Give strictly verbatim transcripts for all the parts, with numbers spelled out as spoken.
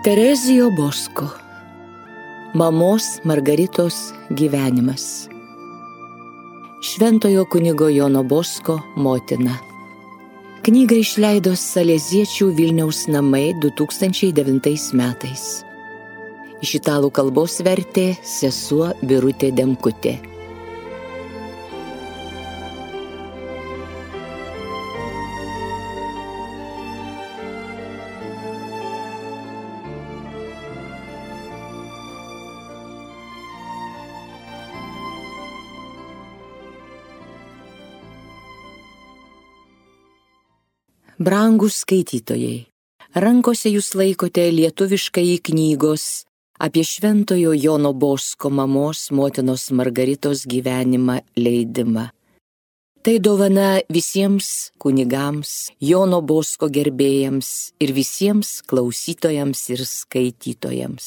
Terezijo Bosko. Mamos Margaritos gyvenimas. Šventojo kunigo Jono Bosko motina. Knygą išleido Saleziečių Vilniaus namai du tūkstančiai devintais metais. Iš italų kalbos vertė sesuo Birutė Demkutė. Brangūs skaitytojai, rankose jūs laikote lietuviškąjį knygos apie Šventojo Jono Bosko mamos motinos Margaritos gyvenimą leidimą. Tai dovana visiems kunigams, Jono Bosko gerbėjams ir visiems klausytojams ir skaitytojams.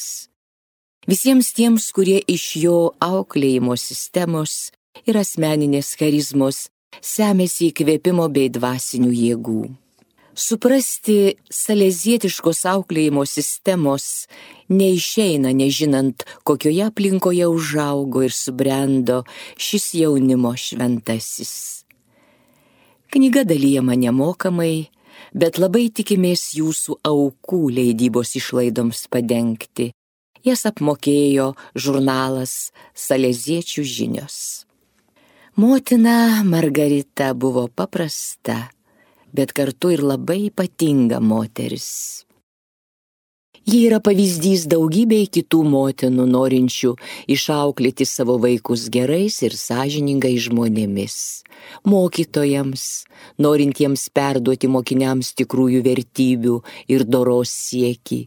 Visiems tiems, kurie iš jo auklėjimo sistemos ir asmeninės charizmos semėsi įkvėpimo bei dvasinių jėgų. Suprasti salezietiškos auklėjimo sistemos neišeina, nežinant, kokioje aplinkoje užaugo ir subrendo šis jaunimo šventasis. Knyga dalijama nemokamai, bet labai tikimės jūsų aukų leidybos išlaidoms padengti. Jas apmokėjo žurnalas Saleziečių žinios. Motina Margarita buvo paprasta, bet kartu ir labai ypatinga moteris. Ji yra pavyzdys daugybei kitų motinų norinčių išauklėti savo vaikus gerais ir sąžiningais žmonėmis, mokytojams, norintiems perduoti mokiniams tikrųjų vertybių ir doros siekį,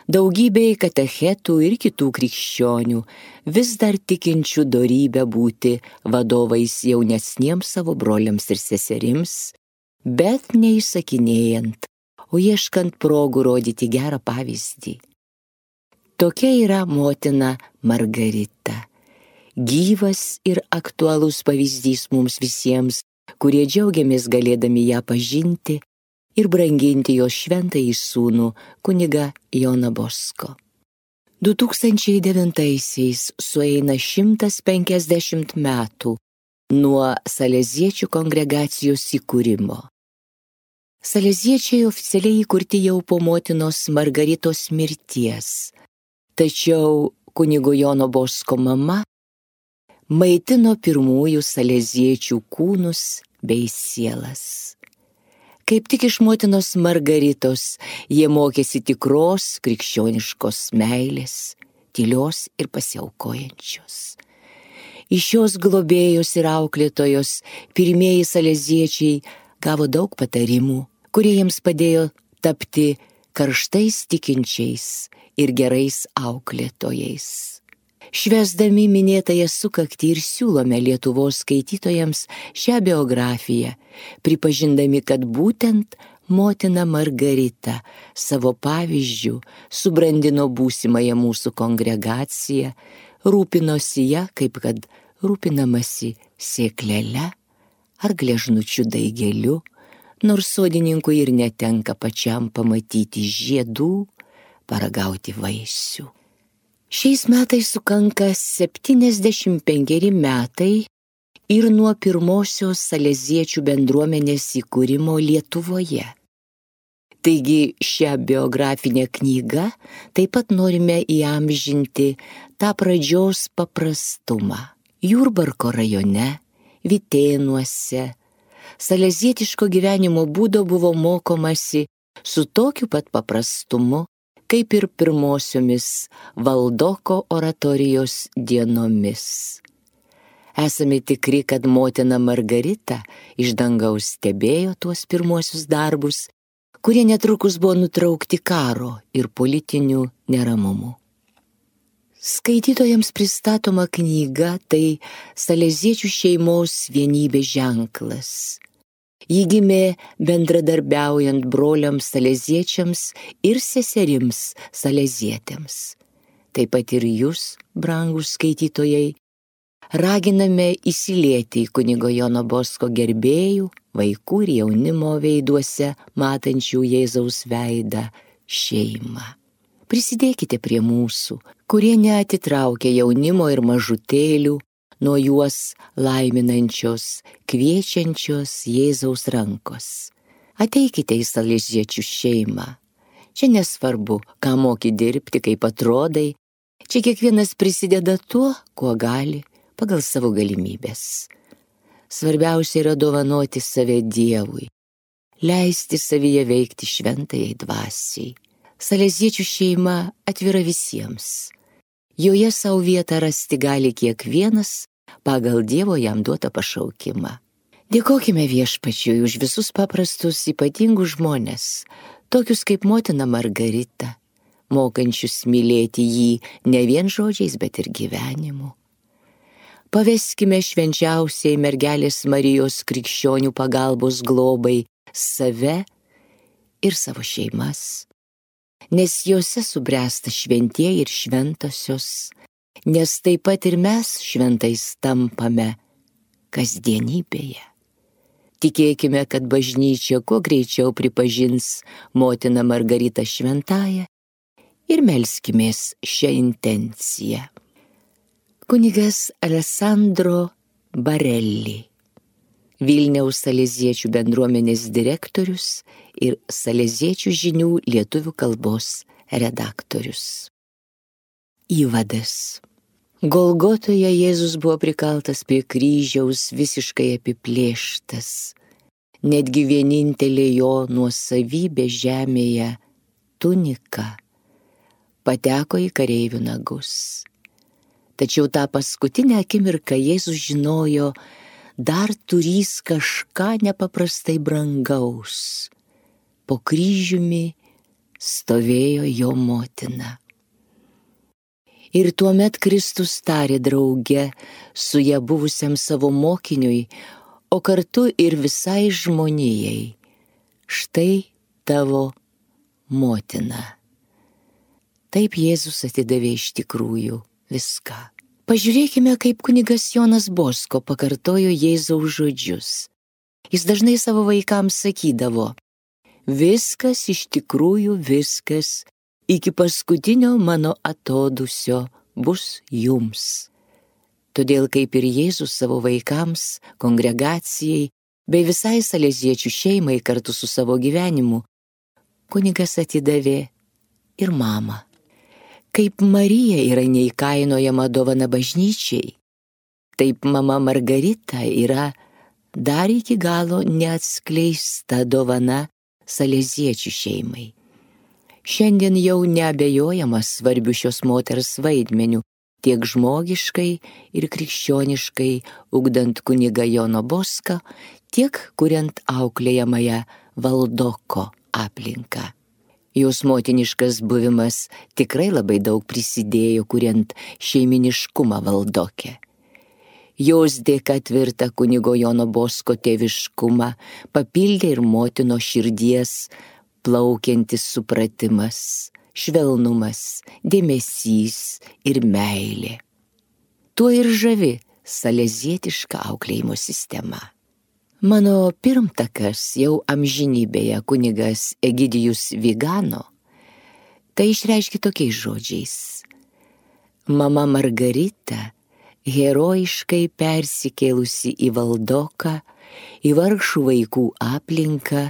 daugybei katechetų ir kitų krikščionių, vis dar tikinčių dorybę būti vadovais jaunesniems savo broliams ir seserims, bet neįsakinėjant, o ieškant progų rodyti gerą pavyzdį. Tokia yra motina Margarita, gyvas ir aktualus pavyzdys mums visiems, kurie džiaugiamės galėdami ją pažinti ir branginti jos šventąjį sūnų kunigą Joną Bosko. du tūkstančiai devintaisiais sueina šimtas penkiasdešimt metų nuo Saleziečių kongregacijos įkūrimo. Saleziečiai oficialiai įkurti jau po motinos Margaritos mirties, tačiau kunigo Jono Bosko mama maitino pirmųjų saleziečių kūnus bei sielas. Kaip tik iš motinos Margaritos jie mokėsi tikros krikščioniškos meilės, tylios ir pasiaukojančios. Iš šios globėjos ir auklėtojos pirmieji saleziečiai gavo daug patarimų, kurie jiems padėjo tapti karštais tikinčiais ir gerais auklėtojais. Švęsdami minėtąją sukaktį ir siūlome Lietuvos skaitytojams šią biografiją, pripažindami, kad būtent motina Margarita savo pavyzdžių subrandino būsimąją mūsų kongregaciją, rūpinosi ją, kaip kad rūpinamasi sėklele ar gležnučių daigeliu, nors sodininkui ir netenka pačiam pamatyti žiedų, paragauti vaisių. Šiais metais sukanka septyniasdešimt penkeri metai ir nuo pirmosios saleziečių bendruomenės įkūrimo Lietuvoje. Taigi šią biografinę knygą taip pat norime įamžinti tą pradžios paprastumą. Jurbarko rajone, Vitėnuose, salezietiško gyvenimo būdo buvo mokomasi su tokiu pat paprastumu, kaip ir pirmosiomis Valdoko oratorijos dienomis. Esame tikri, kad motina Margarita iš dangaus stebėjo tuos pirmuosius darbus, kurie netrukus buvo nutraukti karo ir politinių neramumų. Skaitytojams pristatoma knyga tai saleziečių šeimos vienybės ženklas. Ji gimė bendradarbiaujant broliams saleziečiams ir seserims salezietėms. Taip pat ir jūs, brangūs skaitytojai, raginame įsilieti į kunigo Jono Bosko gerbėjų, vaikų ir jaunimo veiduose matančių Jėzaus veidą šeimą. prisidėkite prie mūsų, kurie neatitraukia jaunimo ir mažutėlių nuo juos laiminančios, kviečiančios Jėzaus rankos. Ateikite į saleziečių šeimą. Čia nesvarbu, ką moki dirbti, kaip atrodai. Čia kiekvienas prisideda tuo, kuo gali, pagal savo galimybės. Svarbiausia yra dovanoti save Dievui, leisti savyje veikti šventajai dvasiai. Saleziečių šeima atvira visiems. Joje savo vietą rasti gali kiekvienas pagal Dievo jam duotą pašaukimą. Dėkokime Viešpačiui už visus paprastus ypatingus žmones, tokius kaip motina Margarita, mokančius mylėti jį ne vien žodžiais, bet ir gyvenimu. Paveskime švenčiausiai mergelės Marijos krikščionių pagalbos globai save ir savo šeimas, nes jose subręsta šventieji ir šventosios, nes taip pat ir mes šventais tampame kasdienybėje. Tikėkime, kad bažnyčia kuo greičiau pripažins motiną Margaritą šventąją ir melskimės šią intenciją. Kunigas Alessandro Barelli, Vilniaus saleziečių bendruomenės direktorius ir saleziečių žinių lietuvių kalbos redaktorius. Įvadas. Golgotoje Jėzus buvo prikaltas prie kryžiaus visiškai apiplėštas. Netgi vienintelė jo nuosavybė žemėje, tunika, pateko į kareivių nagus. Tačiau tą paskutinę akimirką Jėzus žinojo, dar turys kažką nepaprastai brangaus. Po kryžiumi stovėjo jo motina. Ir tuomet Kristus tarė drauge su ja buvusiam savo mokiniui, o kartu ir visai žmonijai: štai tavo motina. Taip Jėzus atidavė iš tikrųjų viską. Pažiūrėkime, kaip kunigas Jonas Bosko pakartojo Jėzaus žodžius. Jis dažnai savo vaikams sakydavo: viskas, iš tikrųjų viskas, iki paskutinio mano atodūsio bus jums. Todėl kaip ir Jėzus savo vaikams, kongregacijai bei visai saleziečių šeimai kartu su savo gyvenimu, kunigas atidavė ir mamą. Kaip Marija yra neįkainojama dovana bažnyčiai, taip mama Margarita yra dar iki galo neatskleista dovana saleziečių šeimai. Šiandien jau neabejojama svarbiu šios moters vaidmeniu, tiek žmogiškai ir krikščioniškai ugdant kunigą Joną Boską, tiek kuriant auklėjamąją Valdoko aplinką. Jos motiniškas buvimas tikrai labai daug prisidėjo, kuriant šeiminiškumą Valdoke. Jos dėka tvirtą kunigo Jono Bosko tėviškumą papildė ir motino širdies plaukiantis supratimas, švelnumas, dėmesys ir meilė. Tuo ir žavi salezietiška auklėjimo sistema. Mano pirmtakas jau amžinybėje kunigas Egidijus Vigano tai išreiškė tokiais žodžiais: mama Margarita, herojiškai persikėlusi į Valdoką, į vargšų vaikų aplinką,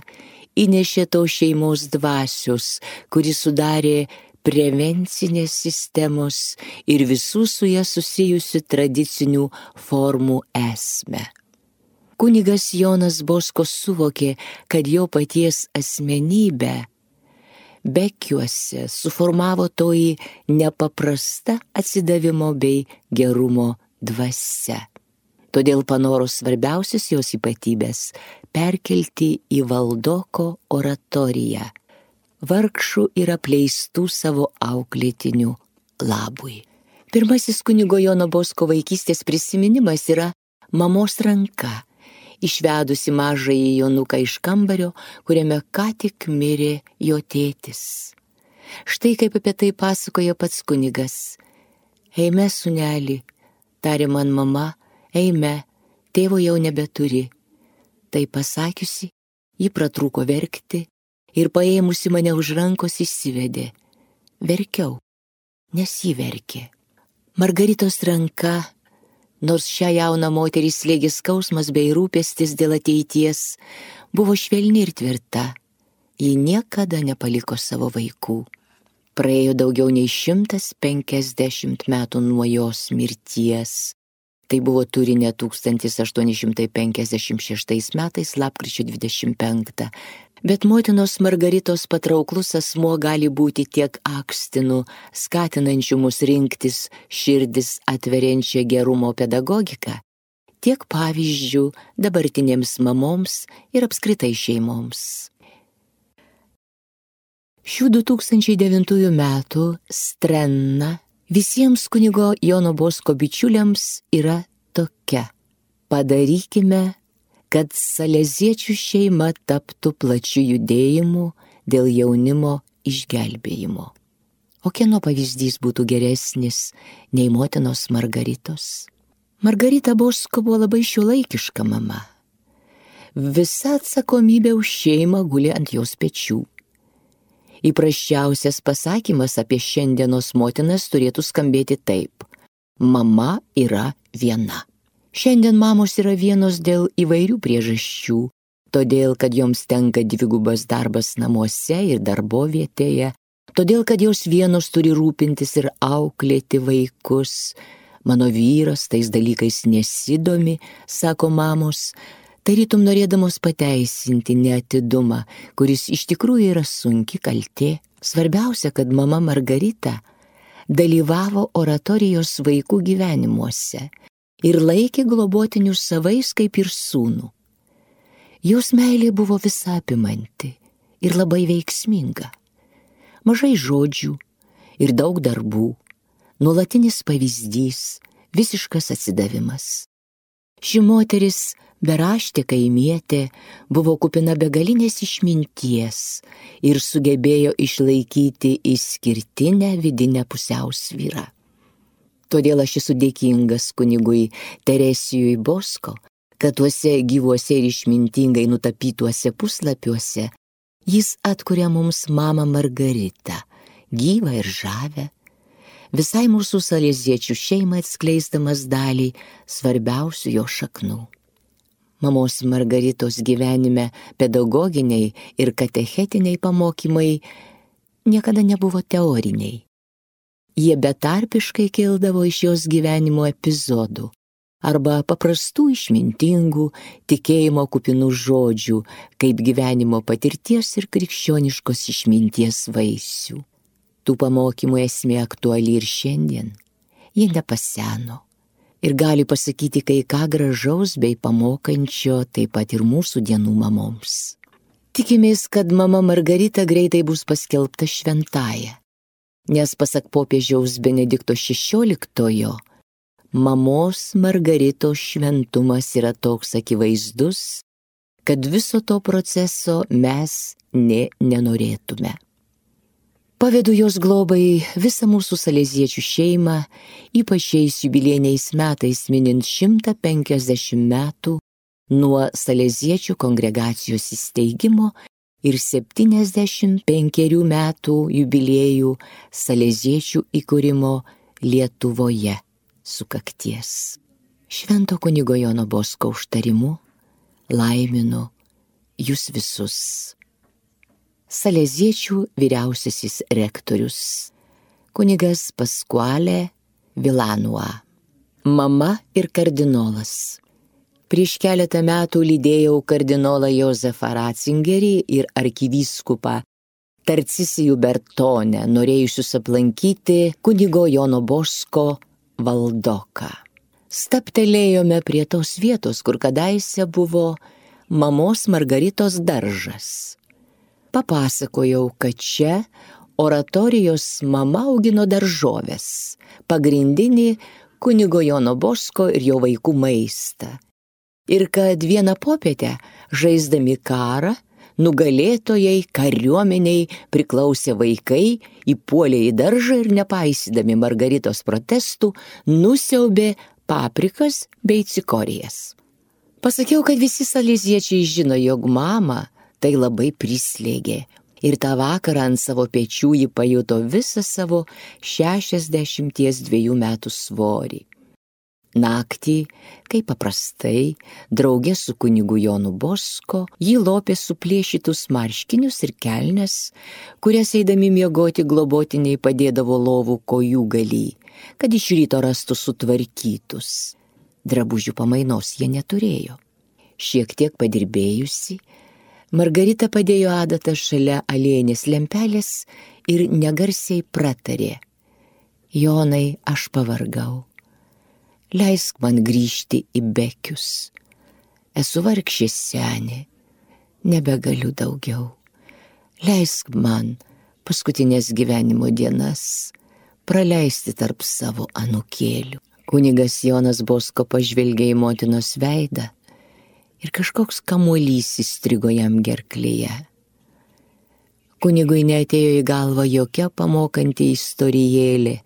įnešė to šeimos dvasios, kuri sudarė prevencinės sistemos ir visų su ją susijusių tradicinių formų esmę. Kunigas Jonas Bosko suvokė, kad jo paties asmenybę Bekiuose suformavo toji nepaprasta atsidavimo bei gerumo dvasia. Todėl panoro svarbiausias jos ypatybės perkelti į Valdoko oratoriją, vargšų ir apleistų savo auklėtinių labui. Pirmasis kunigo Jono Bosko vaikystės prisiminimas yra mamos ranka, išvedusi mažąjį Jonuką iš kambario, kuriame ką tik mirė jo tėtis. Štai kaip apie tai pasakojo pats kunigas: eime, sūneli, tarė man mama, eime, tėvo jau nebeturi. Tai pasakiusi, ji pratrūko verkti ir paėmusi mane už rankos išsivedė. verkiau, nes ji verkė. Margaritos ranka, nors šią jauną moterį slėgė skausmas bei rūpestis dėl ateities, buvo švelni ir tvirta. Ji niekada nepaliko savo vaikų. Praėjo daugiau nei šimtas penkiasdešimt metų nuo jos mirties. Tai buvo Turine tūkstantis aštuoni šimtai penkiasdešimt šeštais metais lapkričio dvidešimt penktą. Bet motinos Margaritos patrauklus asmuo gali būti tiek akstinu, skatinančiu mus rinktis širdis atveriančią gerumo pedagogiką, tiek pavyzdžių dabartinėms mamoms ir apskritai šeimoms. Šių du tūkstančiai devintųjų metų strenna visiems kunigo Jono Bosko bičiuliams yra tokia: padarykime, kad saleziečių šeima taptų plačiu judėjimu dėl jaunimo išgelbėjimo. O kieno pavyzdys būtų geresnis nei motinos Margaritos? Margarita Bosko buvo labai šiuolaikiška mama. Visa atsakomybė už šeimą guli ant jos pečių. Įprasčiausias pasakymas apie šiandienos motinas turėtų skambėti taip: mama yra viena. Šiandien mamos yra vienos dėl įvairių priežasčių, todėl, kad joms tenka dvigubas darbas namuose ir darbovietėje, todėl, kad jos vienos turi rūpintis ir auklėti vaikus. Mano vyras tais dalykais nesidomi, sako mamos, tarytum norėdamos pateisinti neatidumą, kuris iš tikrųjų yra sunki kaltė. Svarbiausia, kad mama Margarita dalyvavo oratorijos vaikų gyvenimuose ir laikė globotinius savais kaip ir sūnų. Jos meilė buvo visapimanti ir labai veiksminga. Mažai žodžių ir daug darbų, nuolatinis pavyzdys, visiškas atsidavimas. Ši moteris, beraštė kaimietė, buvo kupina begalinės išminties ir sugebėjo išlaikyti išskirtinę vidinę pusiausvyrą. Todėl aš esu dėkingas kunigui Teresijui Bosko, kad tuose gyvuose ir išmintingai nutapytuose puslapiuose jis atkuria mums mamą Margaritą, gyvą ir žavę, visai mūsų saleziečių šeimą atskleisdamas dalį svarbiausių jo šaknų. Mamos Margaritos gyvenime pedagoginiai ir katechetiniai pamokymai niekada nebuvo teoriniai. Jie betarpiškai kildavo iš jos gyvenimo epizodų arba paprastų išmintingų, tikėjimo kupinų žodžių, kaip gyvenimo patirties ir krikščioniškos išminties vaisių. Tų pamokymų esmė aktuali ir šiandien. Jie nepaseno ir gali pasakyti kai ką gražaus bei pamokančio taip pat ir mūsų dienų mamoms. Tikimės, kad mama Margarita greitai bus paskelbta šventąja, nes pasak popiežiaus Benedikto šešioliktojo, mamos Margaritos šventumas yra toks akivaizdus, kad viso to proceso mes nė nenorėtume. Pavedu jos globai visą mūsų saleziečių šeimą, ypač šiais jubiliejiniais metais minint šimtą penkiasdešimt metų nuo saleziečių kongregacijos įsteigimo ir septyniasdešimt penkerių metų jubiliejų saleziečių įkūrimo Lietuvoje sukakties. Švento kunigo Jono Bosko užtarimu laiminu jūs visus. Saleziečių vyriausiasis rektorius, kunigas Pasquale Vilanua, mama ir kardinolas. Prieš keletą metų lydėjau kardinolą Jozefą Ratzingerį ir arkivyskupą Tarcisijų Bertone, norėjusius aplankyti kunigo Jono Bosko valdoką. Staptelėjome prie tos vietos, kur kadaise buvo mamos Margaritos daržas. Papasakojau, kad čia oratorijos mama augino daržoves, pagrindinį kunigo Jono Bosko ir jo vaikų maistą. Ir kad vieną popietę, žaisdami karą, nugalėtojai kariuomeniai priklausė vaikai, įpuolė į daržą ir nepaisydami Margaritos protestų, nusiaubė paprikas bei cikorijas. Pasakiau, kad visi saleziečiai žino, jog mama tai labai prislėgė Ir tą vakarą ant savo pečių ji pajuto visą savo šešiasdešimties dviejų metų svorį. Naktį, kaip paprastai, draugė su kunigu Jonu Bosko, ji lopė suplėšytus marškinius ir kelnes, kurias eidami miegoti globotiniai padėdavo lovų kojų galy, kad iš ryto rastų sutvarkytus. Drabužių pamainos jie neturėjo. Šiek tiek padirbėjusi, Margarita padėjo adatą šalia aliejinės lempelės ir negarsiai pratarė: Jonai, aš pavargau. Leisk man grįžti į Bekius. Esu vargšė senė, nebegaliu daugiau. Leisk man paskutinės gyvenimo dienas praleisti tarp savo anūkėlių. Kunigas Jonas Bosko pažvelgė į motinos veidą ir kažkoks kamuolys įstrigo jam gerklėje. Kunigui neatėjo į galvą jokia pamokanti istorijėlė.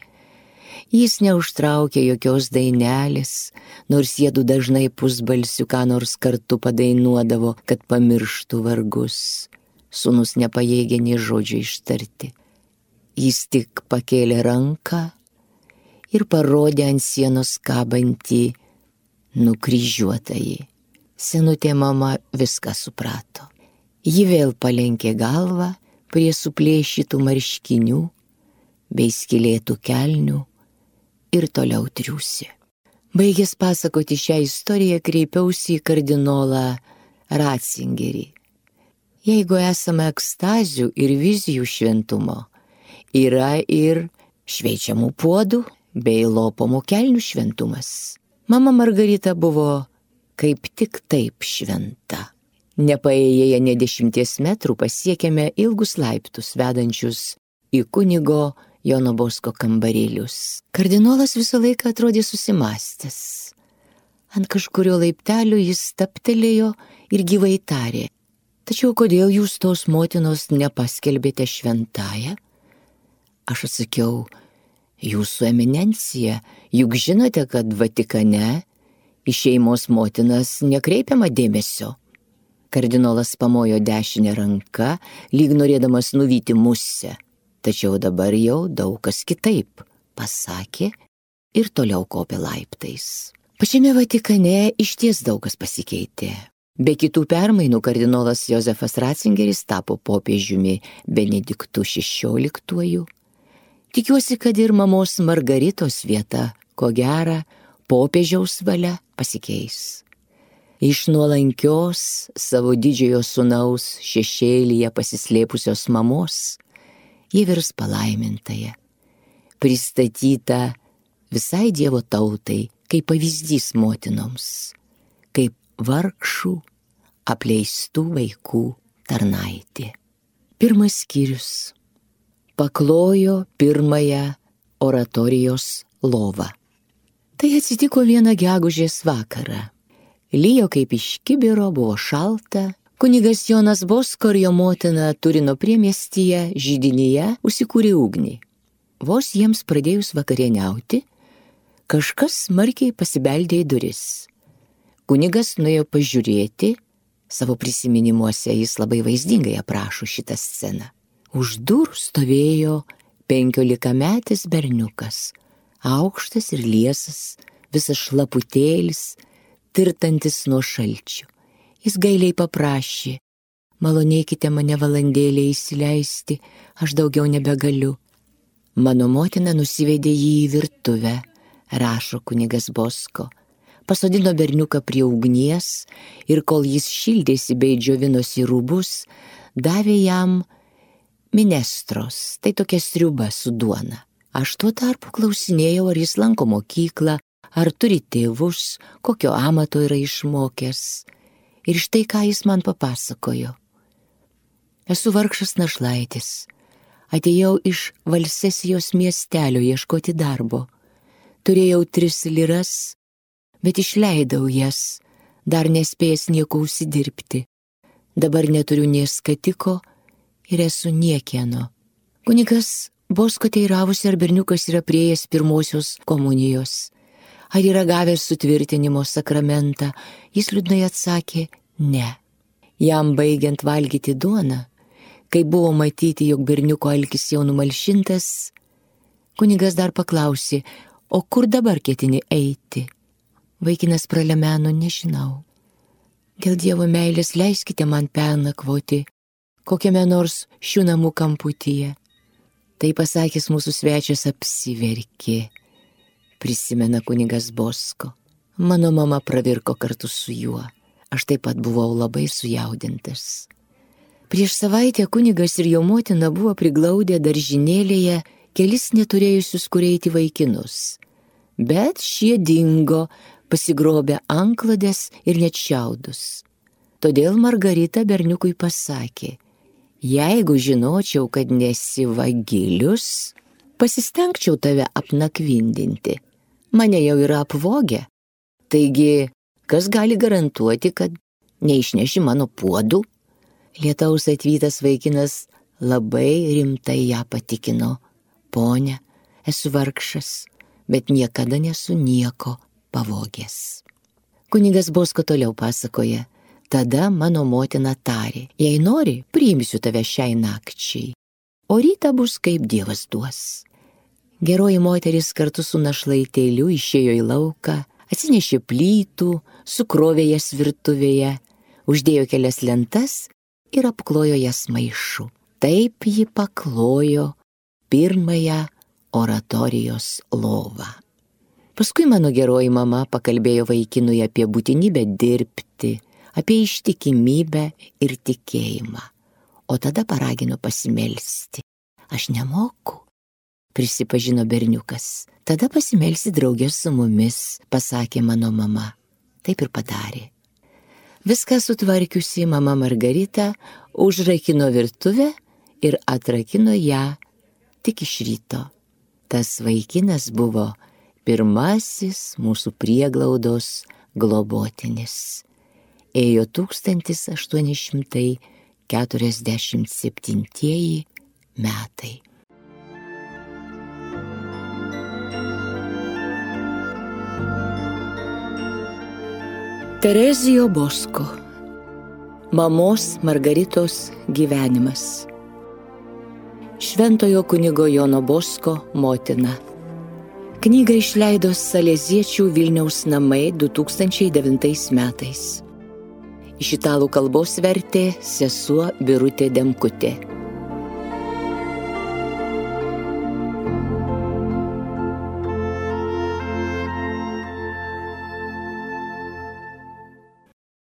Jis neužtraukė jokios dainelės, nors jiedu dažnai pusbalsiu ką nors kartu padainuodavo, kad pamirštų vargus. Sūnus nepajėgė nė žodžio ištarti. Jis tik pakėlė ranką ir parodė ant sienos kabantį nukryžiuotąjį. Senutė mama viską suprato. Ji vėl palenkė galvą prie suplėšytų marškinių bei skylėtų kelnių ir toliau triūsė. Baigęs pasakoti šią istoriją, kreipiausi į kardinolą Ratzingerį. Jeigu esame ekstazių ir vizijų šventumo, yra ir šveičiamų puodų bei lopomų kelnių šventumas. Mama Margarita buvo kaip tik taip šventa. Nepaėję ne dešimties metrų pasiekėme ilgus laiptus vedančius į kunigo Jono Bosko kambarėlius. Kardinolas visą laiką atrodė susimąstęs. Ant kažkurio laiptelio jis stabtelėjo ir gyvai tarė: tačiau kodėl jūs tos motinos nepaskelbėte šventąją? Aš atsakiau: jūsų eminencija, juk žinote, kad Vatikane į šeimos motinas nekreipiama dėmesio. Kardinolas pamojo dešinę ranką, lyg norėdamas nuvyti musę. Tačiau dabar jau daug kas kitaip, pasakė ir toliau kopė laiptais. Pačiame Vatikane išties daug kas pasikeitė. Be kitų permainų kardinolas Jozefas Ratzingeris tapo popiežiumi Benediktu šešioliktuoju. Tikiuosi, kad ir mamos Margaritos vieta, ko gera, popiežiaus valia pasikeis. Iš nuolankios savo didžiojo sūnaus šešėlyje pasislėpusios mamos ji virs palaimintąją, pristatyta visai Dievo tautai kaip pavyzdys motinoms, kaip vargšų, apleistų vaikų tarnaitė. Pirmas skyrius. Paklojo pirmąją oratorijos lovą. Tai atsitiko vieną gegužės vakarą. Lijo kaip iš kibiro, buvo šalta. Kunigas Jonas Bosko ir jo motina Turino priemiestyje židinyje užsikūrė ugnį. Vos jiems pradėjus vakarieniauti, kažkas smarkiai pasibeldė į duris. Kunigas nuėjo pažiūrėti, savo prisiminimuose jis labai vaizdingai aprašo šitą sceną. Už durų stovėjo penkiolikametis berniukas, aukštas ir liesas, visas šlaputėlis, tirtantis nuo šalčių. Jis gailiai paprašė: malonėkite mane valandėlę įsileisti, aš daugiau nebegaliu. Mano motina nusivedė jį į virtuvę, rašo kunigas Bosko, pasodino berniuką prie ugnies ir kol jis šildėsi bei džiovinosi rūbus, davė jam minestros, tai tokia sriuba su duona. Aš tuo tarpu klausinėjau, ar jis lanko mokyklą, ar turi tėvus, kokio amato yra išmokęs. Ir štai ką jis man papasakojo. Esu vargšas našlaitis. Atėjau iš Valsesijos miestelio ieškoti darbo. Turėjau tris liras, bet išleidau jas, dar nespėjęs nieko užsidirbti. Dabar neturiu nė skatiko ir esu niekieno. Kunigas Bosko teiravosi, ar berniukas yra priėjęs pirmosios komunijos. Ar yra gavęs sutvirtinimo sakramentą? Jis liūdnai atsakė: ne. Jam baigiant valgyti duoną, Kai buvo matyti, jog berniuko alkis jau numalšintas, kunigas dar paklausė, o kur dabar ketini eiti? Vaikinas pralemeno, nežinau. Dėl Dievo meilės leiskite man pernakvoti kokiame nors šių namų kamputyje. Tai pasakęs mūsų svečias apsiverkė, prisimena kunigas Bosko. Mano mama pravirko kartu su juo. Aš taip pat buvau labai sujaudintas. Prieš savaitę kunigas ir jo motina buvo priglaudę daržinėlėje kelis neturėjusius kur eiti vaikinus. Bet šie dingo, pasigrobę antklodes ir net šiaudus. Todėl Margarita berniukui pasakė, jeigu žinočiau, kad nesi vagilius, pasistengčiau tave apnakvindinti. Mane jau yra apvogę. Taigi, kas gali garantuoti, kad neišneši mano puodų? Lietaus atvytas vaikinas labai rimtai ją patikino. Ponia, esu vargšas, bet niekada nesu nieko pavogęs. Kunigas Bosko toliau pasakoja. Tada mano motina tarė, jei nori, priimsiu tave šiai nakčiai, o rytą bus kaip Dievas duos. Geroji moteris kartu su našlaitėliu išėjo į lauką, atsinešė plytų, sukrovė jas virtuvėje, uždėjo kelias lentas ir apklojo jas maišu. Taip ji paklojo pirmąją oratorijos lovą. Paskui mano geroji mama pakalbėjo vaikinui apie būtinybę dirbti, apie ištikimybę ir tikėjimą, o tada paragino pasimelsti. Aš nemoku, prisipažino berniukas. Tada pasimelsi draugė su mumis, pasakė mano mama. Taip ir padarė. Viską sutvarkiusi mama Margarita užrakino virtuvę ir atrakino ją tik iš ryto. Tas vaikinas buvo pirmasis mūsų prieglaudos globotinis. Ėjo tūkstantis aštuoni šimtai keturiasdešimt septintieji metai. Terezijo Bosko. Mamos Margaritos gyvenimas. Šventojo kunigo Jono Bosko motina. Knygą išleido Saleziečių Vilniaus namai du tūkstančiai devintais metais. Iš italų kalbos vertė sesuo Birutė Demkutė.